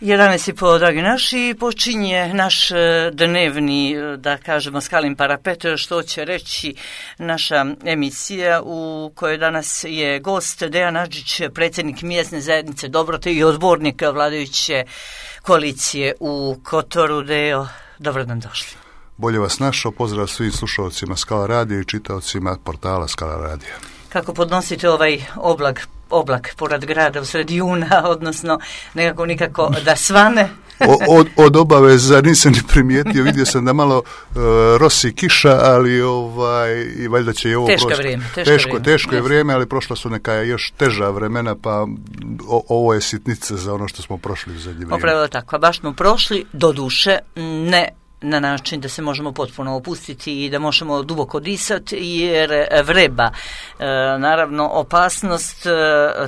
11:30, dragi naši, počinje naš dnevni, da kažemo, Skalin parapet, što će reći naša emisija u kojoj danas je gost Dejan Adžić, predsjednik mjesne zajednice Dobrote i odbornik vladajuće koalicije u Kotoru. Deo, dobro nam došli. Bolje vas našao, pozdrav svim slušalcima Skala radija i čitaocima portala Skala radija. Kako podnosite ovaj oblak pored grada u sred juna, odnosno nikako da svane? Od obaveza nisam ni primijetio, vidio sam da malo rosi kiša, ali i valjda će i ovo teško je vrijeme, ali prošla su neka još teža vremena, pa ovo je sitnica za ono što smo prošli u zadnje vrijeme. Upravo tako, baš smo prošli, do duše, ne na način da se možemo potpuno opustiti i da možemo duboko disati, jer vreba. Naravno, opasnost,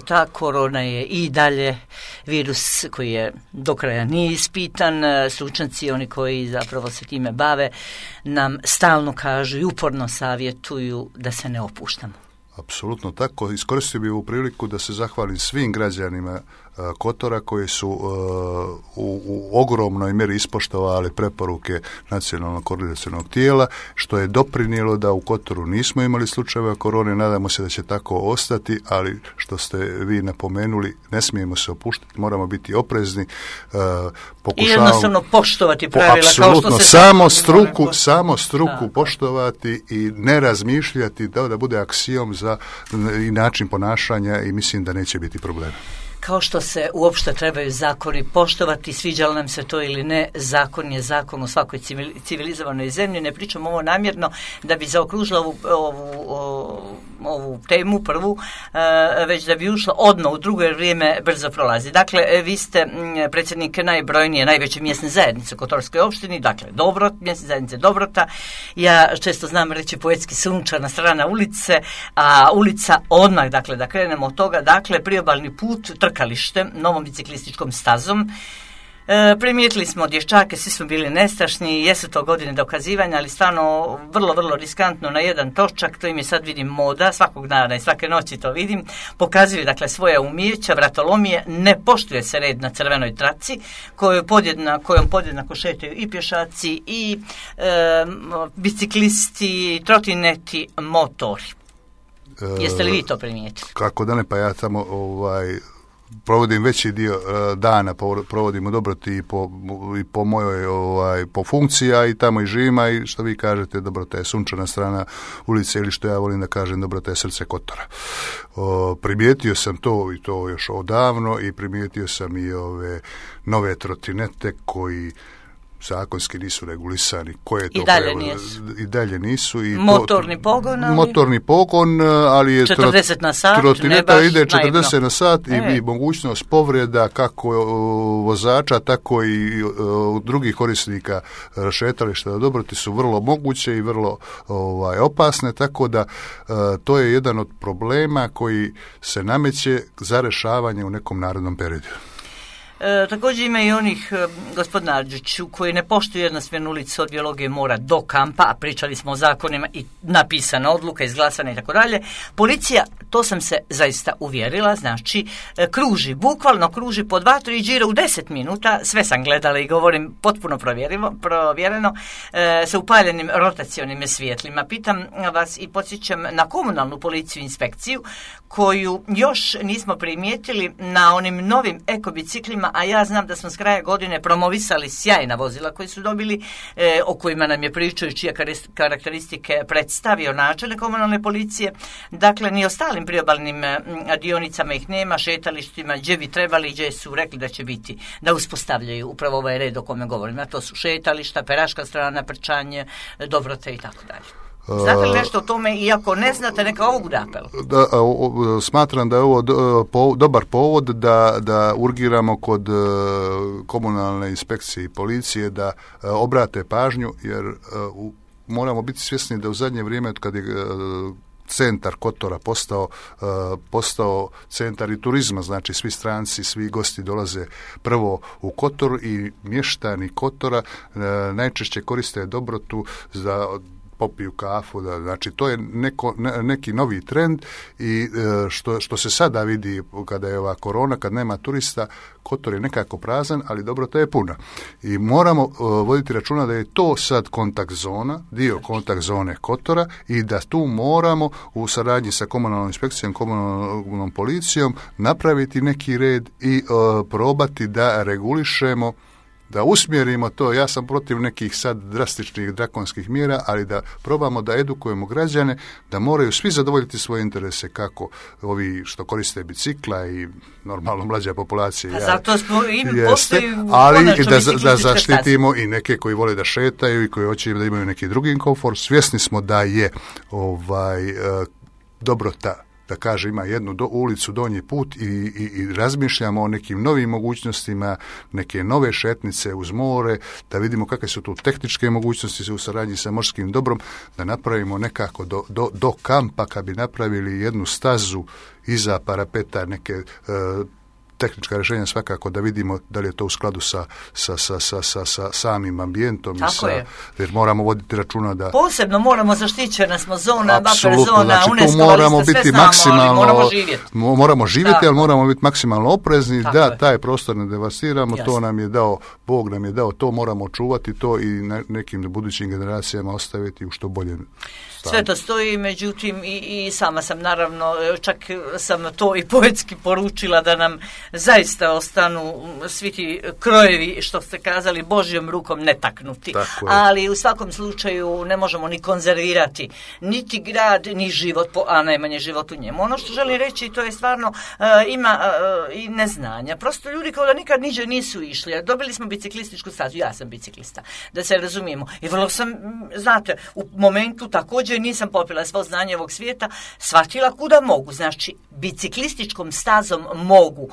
ta korona je i dalje virus koji je do kraja nije ispitan. Stručnjaci, oni koji zapravo se time bave, nam stalno kažu i uporno savjetuju da se ne opuštamo. Apsolutno tako. Iskoristio bih ovu priliku da se zahvalim svim građanima Kotora koji su u ogromnoj mjeri ispoštovali preporuke nacionalnog koordinacionog tijela, što je doprinijelo da u Kotoru nismo imali slučajeva korone. Nadamo se da će tako ostati, ali što ste vi napomenuli, ne smijemo se opuštati, moramo biti oprezni. I jednostavno poštovati pravila. Apsolutno, kao što se samo struku poštovati i ne razmišljati da bude aksijom za i način ponašanja, i mislim da neće biti problema. Kao što se uopšte trebaju zakoni poštovati, sviđalo nam se to ili ne, zakon je zakon u svakoj civilizovanoj zemlji. Ne pričam ovo namjerno da bi zaokružila ovu temu prvu, već da bi ušla odmah u drugo, jer vrijeme brzo prolazi. Dakle, vi ste predsjednik najbrojnije, najveće mjesne zajednice u Kotorskoj opštini, dakle mjesne zajednice Dobrota. Ja često znam reći poetski sunčana strana ulice, a ulica odmah, dakle da krenemo od toga, dakle priobalni put, trkalište, novom biciklističkom stazom. Primijetili smo dječake, svi smo bili nestašni, jesu to godine dokazivanja, ali stvarno vrlo, vrlo riskantno na jedan točak, to im je sad vidim moda, svakog dana i svake noći to vidim, pokazuju dakle svoje umijeća, vratolomije, ne poštuje se red na crvenoj traci, kojom podjednako šetaju i pješaci, i biciklisti, trotineti, motori. Jeste li vi to primijetili? Kako da ne, pa ja tamo provodim veći dio dana, provodim u Dobroti i po mojoj po funkciji, a i tamo i živim, i što vi kažete, Dobrota je sunčana strana ulice, ili što ja volim da kažem, Dobrota je srce Kotora. Primijetio sam to, i to još odavno, i primijetio sam i ove nove trotinete koji zakonski nisu regulisani. Koje to i dalje nisu. I motorni pogon, ali je 40 na sat, trotineta ide 40 naivno na sat i mogućnost povreda kako vozača, tako i drugih korisnika šetališta na Dobroti su vrlo moguće i vrlo opasne, tako da to je jedan od problema koji se nameće za rešavanje u nekom narednom periodu. Također ima i onih, gospodin Adžiću, koji ne poštuju jednosmjernu ulicu od biologije mora do kampa, a pričali smo o zakonima i napisana odluka, izglasana i tako dalje. Policija, to sam se zaista uvjerila, znači kruži, bukvalno kruži po 2-3 džira u 10 minuta, sve sam gledala i govorim potpuno provjereno, sa upaljenim rotacionim svjetlima. Pitam vas i podsjećam na komunalnu policiju inspekciju, koju još nismo primijetili na onim novim ekobiciklima, a ja znam da smo s kraja godine promovisali sjajna vozila koji su dobili, o kojima nam je pričaju, čije karakteristike predstavio načelnik komunalne policije. Dakle, ni ostalim priobalnim dionicama ih nema, šetalištima, gdje bi trebali, gdje su rekli da će biti, da uspostavljaju upravo ovaj red o kome govorim. A to su šetališta, Peraška strana, Prčanje, Dobrote i tako dalje. Znate li nešto o tome, i ako ne znate, neka ovo bude apel? Smatram da je ovo dobar povod da urgiramo kod komunalne inspekcije i policije da obrate pažnju, jer moramo biti svjesni da u zadnje vrijeme, od kad je centar Kotora postao centar i turizma, znači svi stranci, svi gosti dolaze prvo u Kotor, i mještani Kotora najčešće koriste Dobrotu za popiju kafu, znači to je neki novi trend i što se sada vidi kada je ova korona, kad nema turista, Kotor je nekako prazan, ali Dobrota je puna. I moramo voditi računa da je to sad kontakt zona, dio kontakt zone Kotora i da tu moramo u saradnji sa komunalnom inspekcijom, komunalnom policijom napraviti neki red i probati da regulišemo, da usmjerimo to. Ja sam protiv nekih sad drastičnih drakonskih mjera, ali da probamo da edukujemo građane, da moraju svi zadovoljiti svoje interese, kako ovi što koriste bicikla i normalno mlađa populacija. Zato smo ali da zaštitimo i neke koji vole da šetaju i koji hoće da imaju neki drugi komfor. Svjesni smo da je Dobrota, da kaže, ima jednu ulicu Donji put i razmišljamo o nekim novim mogućnostima, neke nove šetnice uz more, da vidimo kakve su tu tehničke mogućnosti u saradnji sa morskim dobrom, da napravimo nekako do kampa, kad bi napravili jednu stazu iza parapeta, neke tehnička rješenja svakako, da vidimo da li je to u skladu sa samim ambijentom. Jer moramo voditi računa da... Posebno moramo zaštićena smo zona, buffer zona, znači, UNESCO, moramo biti maksimalno, moramo živjeti, ali moramo biti maksimalno oprezni, da taj prostor ne devastiramo. Jasne. To nam je dao, Bog nam je dao, to moramo čuvati, to i nekim budućim generacijama ostaviti u što bolje. Sve to stoji, međutim i sama sam naravno, čak sam to i poetski poručila da nam zaista ostanu svi ti krojevi, što ste kazali, Božjom rukom netaknuti. Ali u svakom slučaju ne možemo ni konzervirati niti grad, ni život, a najmanje život u njemu. Ono što želim reći, to je stvarno ima i neznanja. Prosto ljudi kao da nikad niđe nisu išli. Dobili smo biciklističku stazu, ja sam biciklista, da se razumijemo. I vrlo sam, znate, u momentu također nisam popila svo znanje ovog svijeta, shvatila kuda mogu. Znači, biciklističkom stazom mogu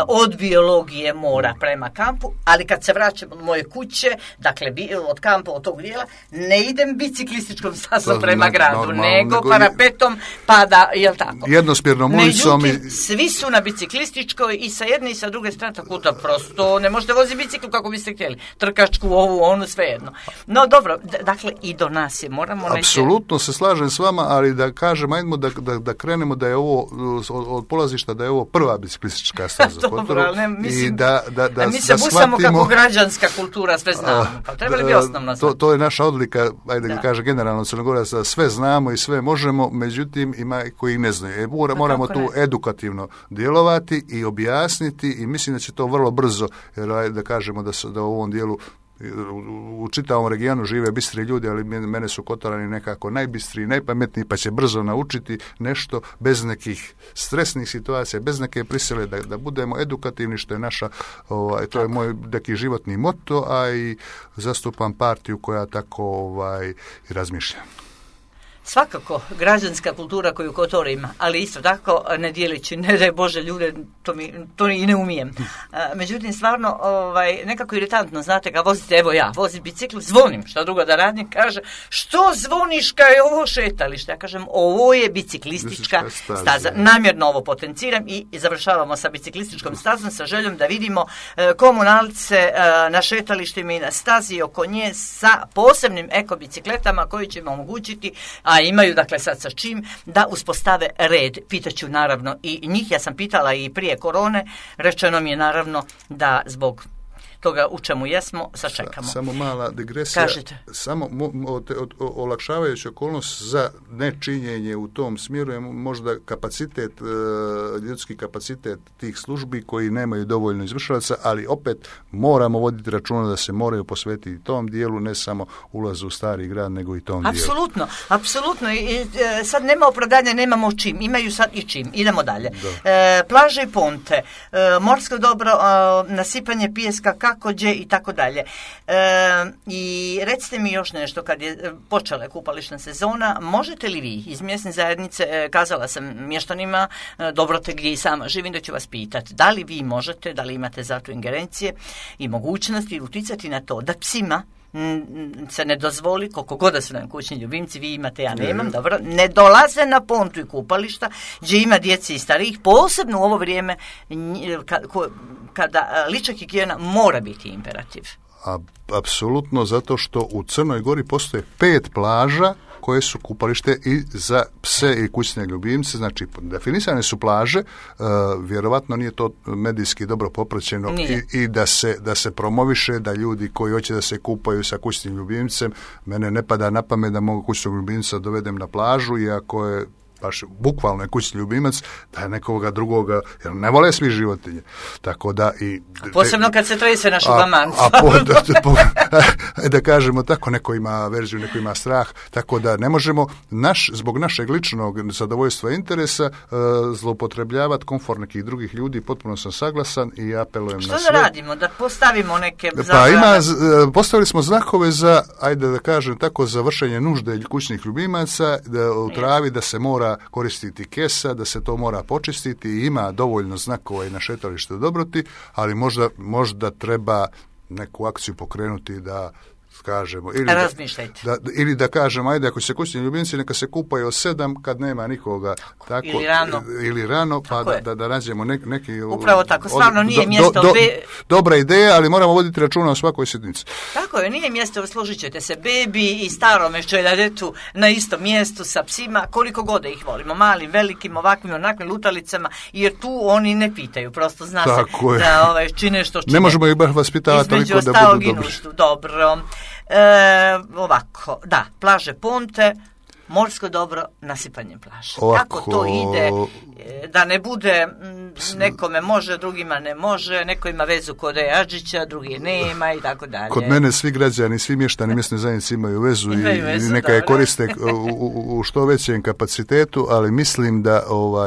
od biologije mora prema kampu, ali kad se vraćam od moje kuće, dakle od kampa, od tog dijela, ne idem biciklističkom stazom prema gradu, nego parapetom, pa da, jel tako? Jednosmjernom ulicom. Međutim, svi su na biciklističkoj i sa jedne i sa druge strane, tako da prosto ne možete voziti biciklu kako biste htjeli. Trkačku, ovu, onu, svejedno. No dobro, dakle i do nas je, moramo... Apsolutno se slažem s vama, ali da kažem, ajdemo da krenemo da je ovo od polazišta da je ovo prva biciklistička staza. Dobro, ali ne, mislim, mi se busamo kako građanska kultura, sve znamo. Pa trebali bi osnovno znati. To je naša odlika, ajde da kaže generalno Crnogoraca, sve znamo i sve možemo, međutim ima koji ne znaju. Moramo tu edukativno djelovati i objasniti i mislim da će to vrlo brzo, jer da kažemo da u ovom dijelu u čitavom regionu žive bistri ljudi, ali mene su Kotorani nekako najbistriji, najpametniji, pa će brzo naučiti nešto bez nekih stresnih situacija, bez neke prisile, da budemo edukativni, što je naša, to je moj neki životni moto, a i zastupam partiju koja tako razmišlja. Svakako, građanska kultura koju Kotor ima, ali isto tako ne dijelići, ne daj Bože ljude, to i ne umijem. Međutim, stvarno, nekako iritantno, znate, kad vozite, evo ja, vozim bicikl, zvonim, šta drugo da radim, kaže, što zvoniš kad je ovo šetalište? Ja kažem, ovo je biciklistička staza. Namjerno ovo potenciram i završavamo sa biciklističkom stazom sa željom da vidimo komunalce na šetalištima i na stazi oko nje sa posebnim ekobicikletama koji će im omogućiti, a imaju dakle sad sa čim, da uspostave red. Pitaću naravno i njih, ja sam pitala i prije korone, rečeno mi je naravno da zbog toga u čemu jesmo, sačekamo. Samo mala digresija. Kažete. Samo olakšavajući okolnost za nečinjenje u tom smjeru je možda kapacitet, ljudski kapacitet tih službi koji nemaju dovoljno izvršilaca, ali opet moramo voditi računa da se moraju posvetiti tom dijelu, ne samo ulazu u stari grad, nego i tom dijelu. Apsolutno. I sad nema opravdanja, nemamo čim. Imaju sad i čim. Idemo dalje. Plaže i ponte, morsko dobro, nasipanje pijeska, kakođe i tako dalje. I recite mi još nešto, kad je počela kupališna sezona, možete li vi iz mjesne zajednice, kazala sam mještanima Dobrote gdje i sama živim, da ću vas pitati, da li vi možete, da li imate za to ingerencije i mogućnosti uticati na to da psima se ne dozvoli, koliko god da su nam kućni ljubimci, vi imate, ja nemam, dobro, ne dolaze na pontu i kupališta gdje ima djeci i starijih, posebno u ovo vrijeme kada lična higijena mora biti imperativ. Apsolutno, zato što u Crnoj Gori postoje 5 plaža koje su kupalište i za pse i kućne ljubimce. Znači, definisane su plaže, vjerovatno nije to medijski dobro popraćeno i da se promoviše, da ljudi koji hoće da se kupaju sa kućnim ljubimcem, mene ne pada na pamet da mogu kućnog ljubimca dovedem na plažu, iako je baš bukvalno je kućni ljubimac, da je nekoga drugoga, jer ne vole svi životinje. Tako da i... Posebno kad se trese na šugamancu. Da kažemo tako, neko ima verziju, neko ima strah, tako da ne možemo zbog našeg ličnog zadovoljstva i interesa zloupotrebljavati komfort nekih drugih ljudi, potpuno sam saglasan i apelujem na sve. Što da radimo? Da postavimo neke postavili smo znakove za, ajde da kažem tako, za vršenje nužde kućnih ljubimaca, u travi da se mora koristiti kesa, da se to mora počistiti i ima dovoljno znakova i na šetalištu Dobroti, ali možda treba neku akciju pokrenuti da kažemo, ili da kažemo, ajde, ako se kućni ljubimci neka se kupaju od 7 kad nema nikoga, tako, ili rano pa da nađemo neki... Upravo tako, stvarno nije mjesto... Dobra ideja, ali moramo voditi računa o svakoj sjednici. Tako je, nije mjesto, složit ćete se, bebi i starome čeladetu na istom mjestu sa psima, koliko god da ih volimo, malim, velikim, ovakvim, onakvim lutalicama, jer tu oni ne pitaju, prosto zna tako se da čine što čine. Ne možemo ih baš vaspitavati toliko da budu dobri. Dobro. Ovako, da, plaže Ponte, morsko dobro, nasipanje plaže. Kako to ide, da ne bude nekome može, drugima ne može, neko ima vezu kod Adžića, drugi nema i tako dalje. Kod mene svi građani, svi mještani mjesne zajednice imaju vezu i neka je koriste u što većem kapacitetu, ali mislim da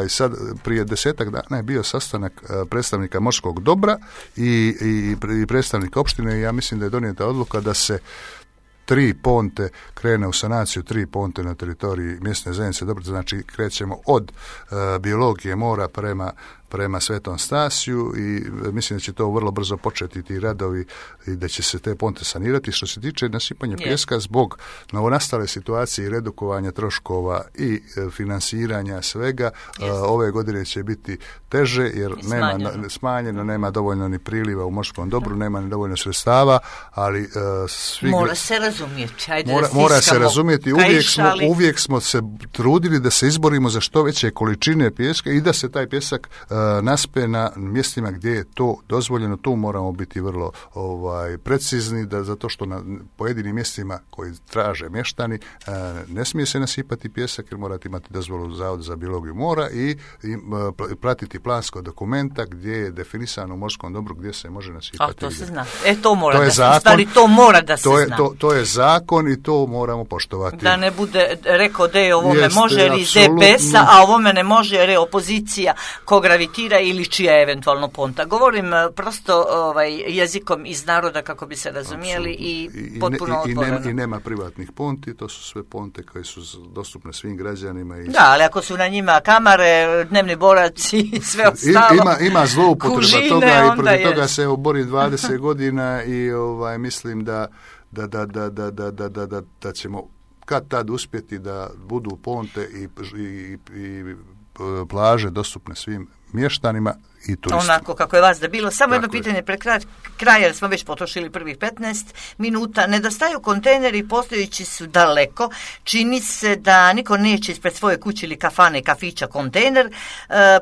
sad prije 10 dana je bio sastanak predstavnika morskog dobra i predstavnika opštine i ja mislim da je donijeta odluka da se 3 ponte krene u sanaciju, 3 ponte na teritoriji mjesne zajednice Dobrota, znači krećemo od biologije mora prema Svetom Stasiju i mislim da će to vrlo brzo početi ti radovi i da će se te ponte sanirati. Što se tiče nasipanja pijeska zbog novonastale situacije i redukovanja troškova i finansiranja svega, ove godine će biti teže jer smanjeno, nema dovoljno ni priliva u morskom dobru, nema ni dovoljno sredstava, ali mora se razumjeti. Mora se razumjeti. Uvijek smo se trudili da se izborimo za što veće količine pijeska i da se taj pjesak naspe na mjestima gdje je to dozvoljeno. Tu moramo biti vrlo precizni, zato što na pojedinim mjestima koji traže mještani ne smije se nasipati pjesak jer morate imati dozvolu Zavoda za biologiju mora i pratiti plansko dokumenta gdje je definisano u morskom dobru gdje se može nasipati. To se zna. To mora da se zna. To je zakon i to moramo poštovati. Da ne bude rekao da je ovome može jer iz DPS-a, a ovome ne može jer je opozicija ko gravitira ili čija eventualno ponta. Govorim prosto jezikom iz naroda kako bi se razumijeli i potpuno otvoreno. I nema privatnih ponti, to su sve ponte koje su dostupne svim građanima. Da, ali ako su na njima kamare, dnevni boraci i sve ostalo. Ima zloupotreba toga i protiv toga se bori 20 godina i mislim da ćemo kad tad uspjeti da budu ponte i plaže dostupne svim mještanima i turistima. Onako kako je vas da bilo. Samo jedno pitanje pred kraj, jer smo već potrošili prvih 15 minuta. Nedostaju kontejneri, postojeći su daleko. Čini se da niko neće ispred svoje kuće ili kafane, kafića kontejner,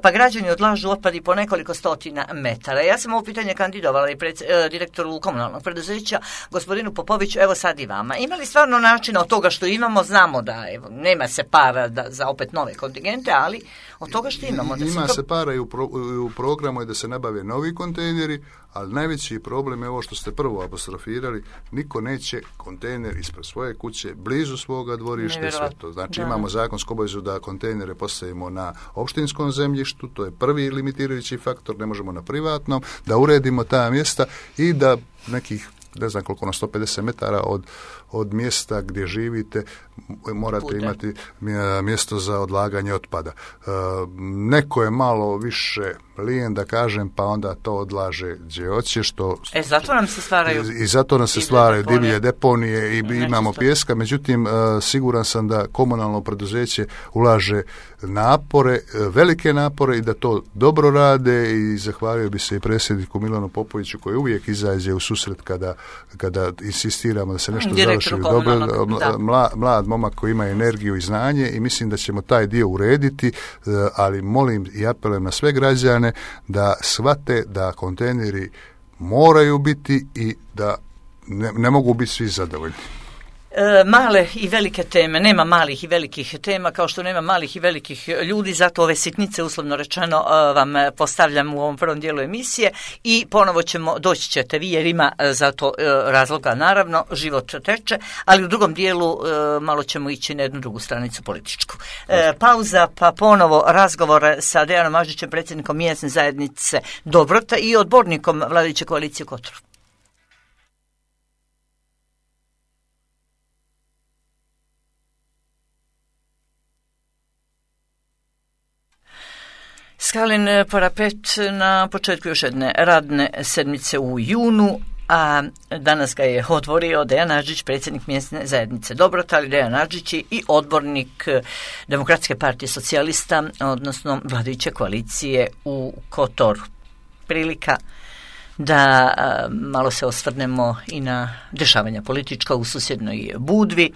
pa građani odlažu otpad i po nekoliko stotina metara. Ja sam ovo pitanje kandidovala i direktoru komunalnog preduzeća, gospodinu Popoviću, evo sad i vama. Ima li stvarno načina od toga što imamo, znamo da nema se para za opet nove kontingente, ali od toga što imamo. Ima se para i u programu je da se nabave novi kontejneri, ali najveći problem je ovo što ste prvo apostrofirali, niko neće kontejner ispred svoje kuće, blizu svoga dvorišta i sve to. Znači imamo zakonsku obavezu da kontejnere postavimo na opštinskom zemljištu, to je prvi limitirajući faktor, ne možemo na privatnom, da uredimo ta mjesta i da nekih ne znam koliko, na 150 metara od mjesta gdje živite morate imati mjesto za odlaganje otpada. Neko je malo više lijen da kažem, pa onda to odlaže gdje hoće, što... zato nam se stvaraju... I zato nam se stvaraju divlje deponije i imamo pjeska, međutim, siguran sam da komunalno preduzeće ulaže napore, velike napore i da to dobro rade i zahvalio bi se i predsjedniku Milanu Popoviću koji uvijek izađe u susret kada insistiramo da se nešto završi dobro. Mlad momak koji ima energiju i znanje i mislim da ćemo taj dio urediti, ali molim i apelujem na sve građane da shvate da kontejneri moraju biti i da ne mogu biti svi zadovoljni. Male i velike teme, nema malih i velikih tema kao što nema malih i velikih ljudi, zato ove sitnice uslovno rečeno vam postavljam u ovom prvom dijelu emisije i ponovo doći ćete vi jer ima za to razloga, naravno, život teče, ali u drugom dijelu malo ćemo ići na jednu drugu stranicu političku. Pauza pa ponovo razgovor sa Dejanom Aždićem, predsjednikom mjesne zajednice Dobrota i odbornikom vladajuće koalicije u Kotoru. Skalin parapet na početku još jedne radne sedmice u junu, a danas ga je otvorio Dejan Aždić, predsjednik mjesne zajednice Dobrota, ali Dejan Aždić i odbornik Demokratske partije socijalista, odnosno vladajuće koalicije u Kotoru. Prilika da malo se osvrnemo i na dešavanja politička u susjednoj Budvi.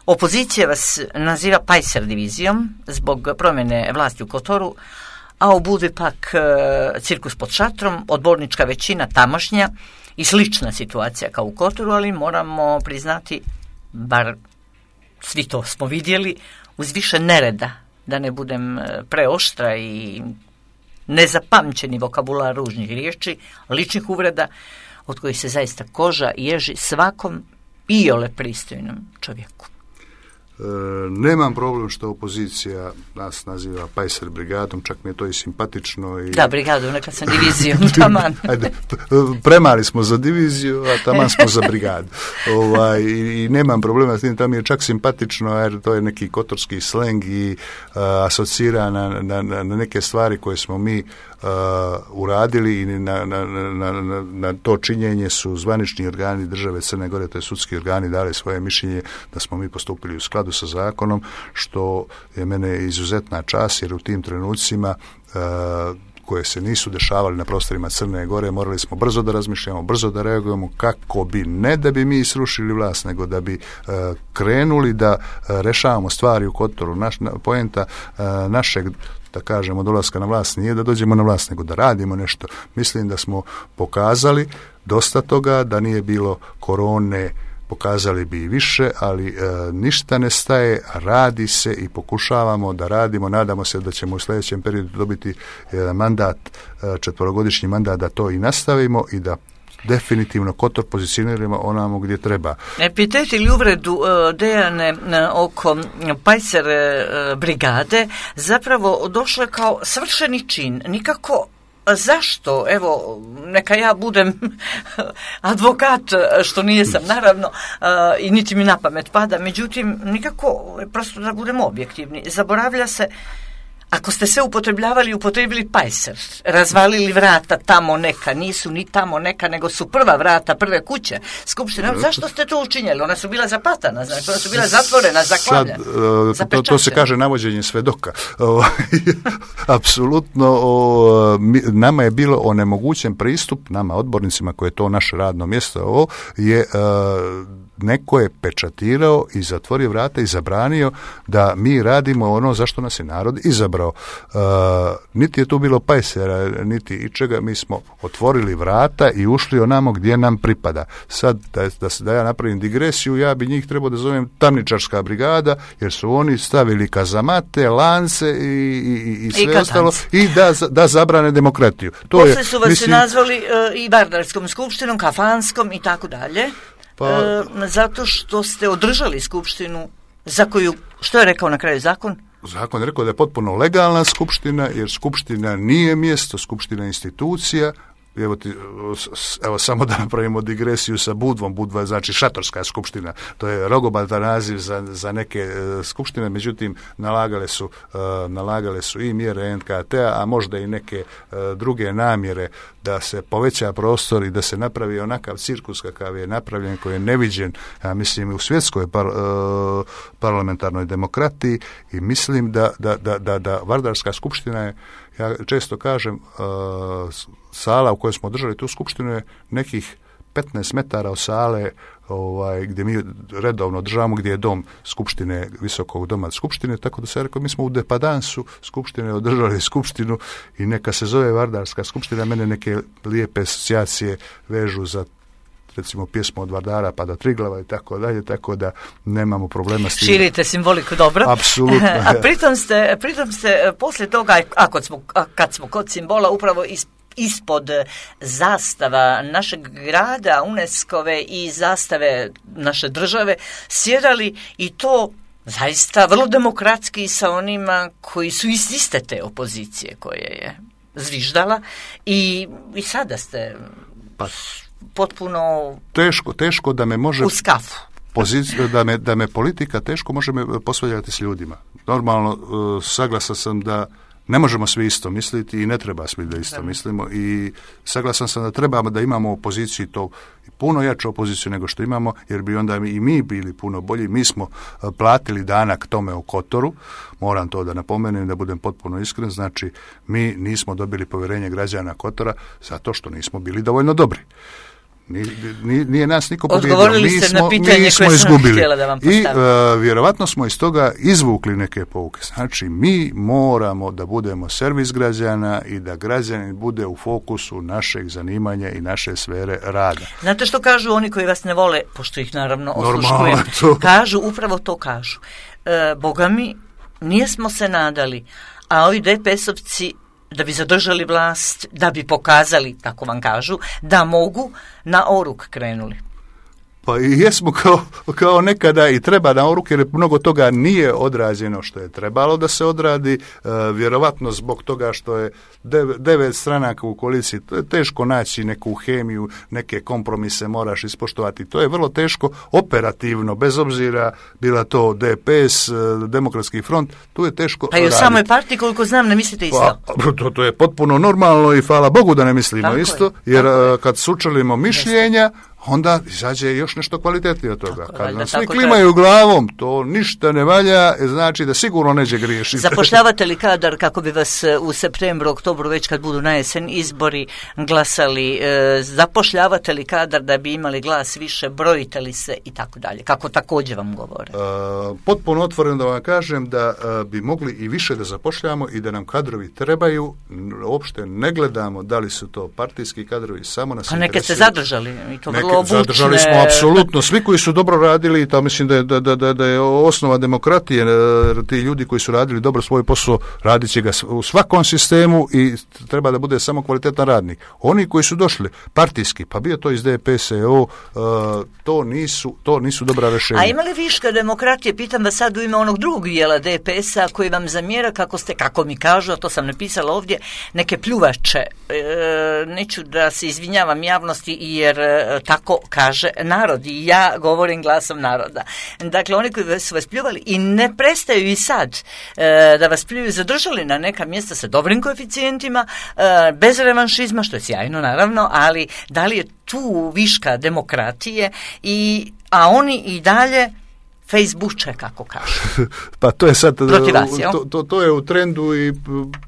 Opozicija vas naziva Pajser divizijom zbog promjene vlasti u Kotoru, a u Budvi pak cirkus pod šatrom, odbornička većina tamošnja i slična situacija kao u Kotoru, ali moramo priznati, bar svi to smo vidjeli, uz više nereda, da ne budem preoštra i nezapamćeni vokabular ružnih riječi, ličnih uvreda, od kojih se zaista koža ježi svakom iole pristojnom čovjeku. Nemam problem što opozicija nas naziva Pajser brigadom, čak mi je to i simpatično. Da, brigadom, nekad sam divizijom, taman. Ajde, premali smo za diviziju, a taman smo za brigadu. I nemam problema s tim, tam je čak simpatično, jer to je neki kotorski sleng i asocira na neke stvari koje smo mi uradili i na to činjenje su zvanični organi države Crne Gore, to je sudski organi, dali svoje mišljenje da smo mi postupili u skladu sa zakonom, što je mene izuzetna čast, jer u tim trenucima koje se nisu dešavali na prostorima Crne Gore, morali smo brzo da razmišljamo, brzo da reagujemo kako bi, ne da bi mi srušili vlast, nego da bi krenuli da rešavamo stvari u Kotoru. Poenta našeg, da kažemo, dolaska na vlast nije da dođemo na vlast, nego da radimo nešto. Mislim da smo pokazali dosta toga, da nije bilo korone, pokazali bi i više, ali ništa ne staje, radi se i pokušavamo da radimo. Nadamo se da ćemo u sljedećem periodu dobiti mandat, 4-godišnji mandat, da to i nastavimo i da definitivno Kotor pozicioniramo onamo gdje treba. Epitet ili uvredu Dejane oko Pajser brigade zapravo došlo je kao svršeni čin. Nikako zašto? Evo, neka ja budem advokat, što nijesam naravno, i niti mi na pamet pada, međutim, nikako, prosto da budemo objektivni. Zaboravlja se, ako ste sve upotrebili Pajser, razvalili vrata tamo neka, nisu ni tamo neka, nego su prva vrata, prve kuće Skupštine. Zašto ste to učinjeli? Ona su bila zapatana, znači, ona su bila zatvorena, zaklavljena. To se kaže navođenje svedoka. Apsolutno, nama je bilo onemogućen pristup, nama odbornicima, koje je to naše radno mjesto, neko je pečatirao i zatvorio vrata i zabranio da mi radimo ono zašto nas je narod izabrao. Niti je tu bilo Pajsera, niti ičega, mi smo otvorili vrata i ušli onamo gdje nam pripada. Sad, da ja napravim digresiju, ja bi njih trebao da zovem tamničarska brigada, jer su oni stavili kazamate, lance i sve ostalo i da zabrane demokratiju. Poslije su vas nazvali i Vardarskom skupštinom, kafanskom i tako dalje. Zato što ste održali skupštinu za koju, što je rekao na kraju zakon? Zakon je rekao da je potpuno legalna skupština, jer skupština nije mjesto, skupština je institucija Evo samo da napravimo digresiju sa Budvom. Budva je znači šatorska skupština. To je rogobatan naziv za neke skupštine, međutim nalagale su i mjere NKT-a, a možda i neke druge namjere da se poveća prostor i da se napravi onakav cirkus kakav je napravljen, koji je neviđen, ja mislim, u svjetskoj parlamentarnoj demokratiji, i mislim da Vardarska skupština je, ja često kažem, sala u kojoj smo držali tu skupštinu je nekih 15 metara od sale gdje mi redovno državamo, gdje je dom skupštine, visokog doma skupštine, tako da se rekao, mi smo u depadansu skupštine održali skupštinu i neka se zove Vardarska skupština. Mene neke lijepe asocijacije vežu za, recimo, pjesmu od Vardara pa do Triglava i tako dalje, tako da nemamo problema s tim. Širite simboliku dobro. Apsolutno. A pritom ste poslije toga, kad smo kod simbola, upravo ispod zastava našeg grada, UNESCO-ve i zastave naše države sjedali, i to zaista vrlo demokratski sa onima koji su iz iste te opozicije koje je zviždala, i sada ste potpuno teško da me može u skafu. Da me politika teško može me posvađati s ljudima. Normalno, saglasan sam da ne možemo svi isto misliti i ne treba svi da isto mislimo, i saglasan sam da trebamo da imamo opoziciju, to puno jaču opoziciju nego što imamo, jer bi onda i mi bili puno bolji. Mi smo platili danak tome u Kotoru, moram to da napomenem, da budem potpuno iskren, znači mi nismo dobili povjerenje građana Kotora zato što nismo bili dovoljno dobri. Nije nas niko pobjedio. Odgovorili ste na pitanje koje sam htjela da vam postavim. I vjerovatno smo iz toga izvukli neke pouke. Znači, mi moramo da budemo servis građana i da građanin bude u fokusu našeg zanimanja i naše sfere rada. Znate što kažu oni koji vas ne vole, pošto ih naravno osluškujem? Kažu, upravo to kažu. Boga mi, nijesmo se nadali, a ovi DPS-ovci da bi zadržali vlast, da bi pokazali, tako vam kažu, da mogu, na oruk krenuli. Pa i jesmo kao nekada i treba na oruk, jer mnogo toga nije odrađeno što je trebalo da se odradi, vjerovatno zbog toga što je 9 stranaka u koaliciji, to je teško naći neku hemiju, neke kompromise moraš ispoštovati, to je vrlo teško operativno, bez obzira bila to DPS, Demokratski front, tu je teško raditi. Pa i u samoj partiji, koliko znam, ne mislite isto? Pa, to je potpuno normalno i hvala Bogu da ne mislimo tako isto, jer kad sučelimo mišljenja, onda izađe još nešto kvalitetnije od toga. Kad nam svi klimaju glavom, to ništa ne valja, znači da sigurno neće griješiti. Zapošljavate li kadar kako bi vas u septembru, oktobru, već kad budu na jesen izbori, glasali? Zapošljavate li kadar da bi imali glas više, brojite li se i tako dalje? Kako također vam govore? Potpuno otvoreno da vam kažem da bi mogli i više da zapošljamo i da nam kadrovi trebaju. Uopšte ne gledamo da li su to partijski kadrovi, samo nas interesuju. A neke ste zadržali i to vrlo obučne. Zadržali smo apsolutno svi koji su dobro radili, to mislim da je osnova demokratije, ti ljudi koji su radili dobro svoj posao, radit će ga u svakom sistemu i treba da bude samo kvalitetan radnik. Oni koji su došli partijski, pa bio to iz DPS-a, to nisu dobra rješenja. A ima li viška demokratije, pitam vas sad u ime onog drugog dijela DPS-a koji vam zamjera kako mi kažu, a to sam napisala ovdje, neke pljuvače. Neću da se izvinjavam javnosti jer tako kaže narod i ja govorim glasom naroda. Dakle, oni koji su vas pljuvali i ne prestaju i sad da vas pljuju, zadržali na neka mjesta sa dobrim koeficijentima, bez revanšizma, što je sjajno naravno, ali da li je tu viška demokratije, a oni i dalje Facebooke, kako kažu. Pa to je sad, vas, to je u trendu i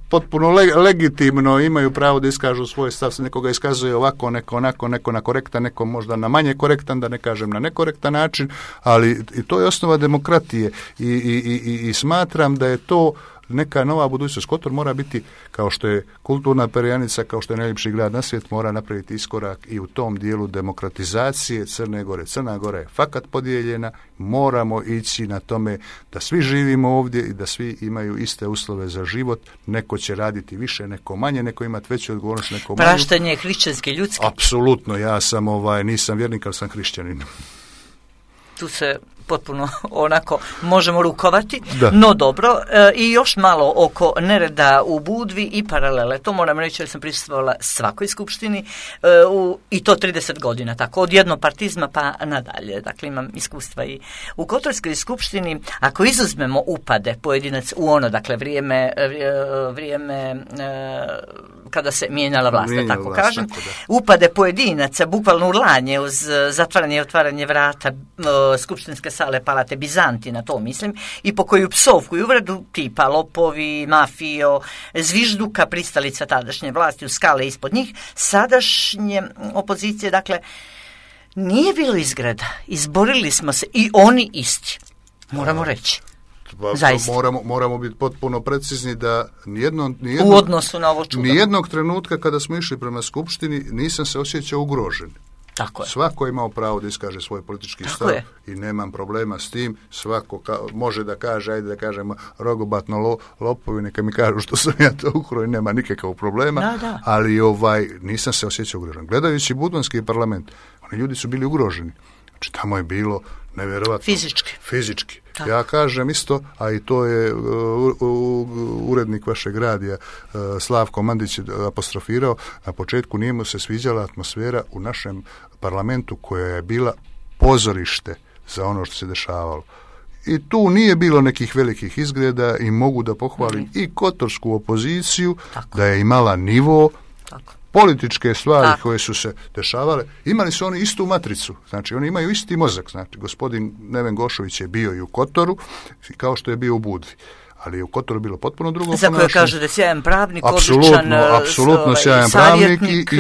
potpuno legitimno, imaju pravo da iskažu svoj stav, se nekoga iskazuje ovako, neko onako, neko na korektan, neko možda na manje korektan, da ne kažem na nekorektan način, ali i to je osnova demokratije i smatram da je to neka nova budućnost. Kotor mora biti, kao što je kulturna perjanica, kao što je najljepši grad na svijet, mora napraviti iskorak i u tom dijelu demokratizacije Crne Gore. Crna Gora je fakat podijeljena, moramo ići na tome da svi živimo ovdje i da svi imaju iste uslove za život. Neko će raditi više, neko manje, neko imati veću odgovornost, neko manju. Praštanje je hrišćanski, ljudski. Apsolutno, ja sam nisam vjernik, ali sam hrišćanin. tu se potpuno onako možemo rukovati, Da. no dobro, i još malo oko nereda u Budvi i paralele. To moram reći jer sam prisustvovala svakoj skupštini i to 30 godina, tako od jednopartizma pa nadalje. Dakle, imam iskustva i u Kotorskoj skupštini. Ako izuzmemo upade pojedinac u ono, dakle, vrijeme kada se mijenjala vlast, tako kažem, upade pojedinaca, bukvalno urlanje uz zatvaranje i otvaranje vrata skupštinske sale Palate Bizantina, to mislim, i po koju psovku i uvredu tipa lopovi, mafijo, zvižduka, pristalica tadašnje vlasti u skale ispod njih, sadašnje opozicije, dakle, nije bilo izgreda. Izborili smo se i oni isti, moramo reći. Moramo biti potpuno precizni da u odnosu na ovo čudo. Nijednog trenutka kada smo išli prema skupštini nisam se osjećao ugrožen. Tako je. Svako je imao pravo da iskaže svoj politički stav i nemam problema s tim. Svako može da kaže, ajde da kažemo rogobatno lopovi, neka mi kažu što sam ja to ukrao i nema nikakvog problema, da. Ali nisam se osjećao ugrožen. Gledajući Budvanski parlament, oni ljudi su bili ugroženi. Znači tamo je bilo nevjerovatno. Fizički. Tako. Ja kažem isto, a i to je urednik vašeg radija Slavko Mandić apostrofirao, na početku nije mu se sviđala atmosfera u našem parlamentu koja je bila pozorište za ono što se dešavalo. I tu nije bilo nekih velikih izgleda i mogu da pohvalim i kotorsku opoziciju, tako, da je imala nivo, tako, političke stvari koje su se dešavale, imali su oni istu matricu, znači oni imaju isti mozak, znači gospodin Neven Gošović je bio i u Kotoru, kao što je bio u Budvi, ali je u Kotoru bilo potpuno drugo ponašanje. Za koje kaže da je sjajan pravnik, apsolutno sjajan pravnik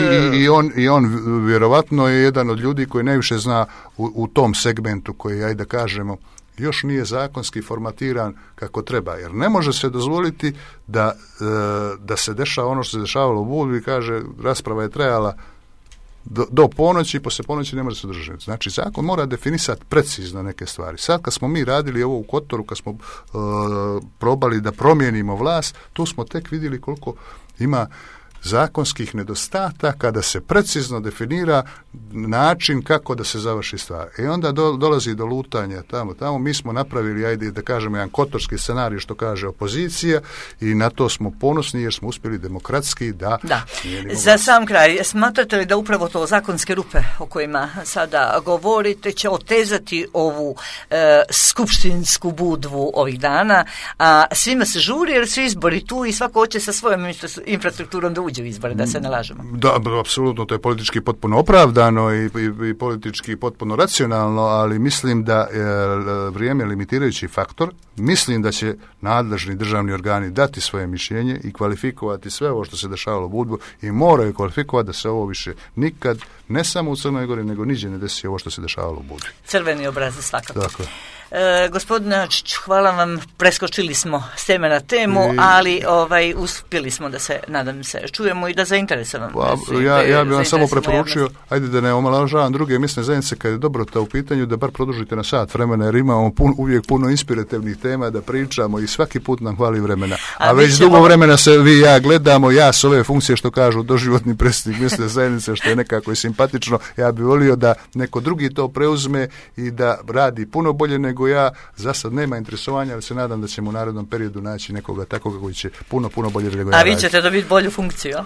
i on vjerovatno je jedan od ljudi koji najviše zna u tom segmentu koji, ajde da kažemo, još nije zakonski formatiran kako treba, jer ne može se dozvoliti da se dešava ono što se dešavalo u Budvi, kaže rasprava je trajala do ponoći, poslije ponoći ne može se držati. Znači zakon mora definisati precizno neke stvari. Sad kad smo mi radili ovo u Kotoru, kad smo probali da promijenimo vlast, tu smo tek vidjeli koliko ima zakonskih nedostataka da se precizno definira način kako da se završi stvar. I onda dolazi do lutanja tamo. Mi smo napravili, ajde da kažemo, jedan kotorski scenarij što kaže opozicija i na to smo ponosni jer smo uspjeli demokratski da. Za sam kraj, smatrate li da upravo to zakonske rupe o kojima sada govorite će otezati ovu skupštinsku Budvu ovih dana, a svima se žuri jer su izbori tu i svako hoće sa svojom infrastrukturom da uđe u izbore, da se ne lažemo. Da, apsolutno, to je politički potpuno opravdano i politički potpuno racionalno, ali mislim da vrijeme je limitirajući faktor. Mislim da će nadležni državni organi dati svoje mišljenje i kvalifikovati sve ovo što se dešavalo u Budvu i moraju kvalifikovati da se ovo više nikad, ne samo u Crnoj Gori, nego niđe ne desi ovo što se dešavalo u Budvi. Crveni obrazac svakako. Tako. Gospodine Ačiću, hvala vam, preskočili smo s teme na temu, ali uspjeli smo da se, nadam se, čujemo i da zainteresujemo. Ja bih vam samo preporučio, ajde da ne omalovažavam druge mesne zajednice kad je Dobrota u pitanju, da bar produžite na sat vremena, jer imamo uvijek puno inspirativnih tema da pričamo i svaki put nam hvali vremena. A već dugo vremena se vi i ja gledamo, ja s ove funkcije što kažu doživotni predsjednik mesne zajednice, što je nekako i simpatično, ja bih volio da neko drugi to preuzme i da radi puno bolje nego ja. Za sad nema interesovanja, ali se nadam da ćemo u narednom periodu naći nekoga takvog koji će puno bolje nego ja. A vi ćete dobiti bolju funkciju?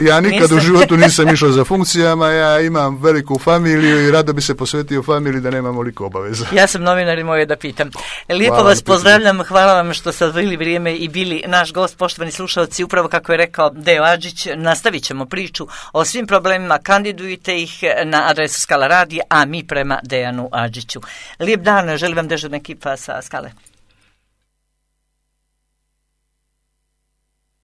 Ja nikad u životu nisam išao za funkcijama, ja imam veliku familiju i rado bi se posvetio familiji da nemam oliko obaveza. Ja sam novinar i moje da pitam. Lijepo vas pozdravljam, hvala vam što ste odvojili vrijeme i bili naš gost, poštovani slušalci, upravo kako je rekao Deo Adžić, nastavit ćemo priču o svim problemima, kandidujte ih na adresu Skala radija, a mi prema Dejanu Adžiću. Lijep dan, želim vam dežurna ekipa sa Skale.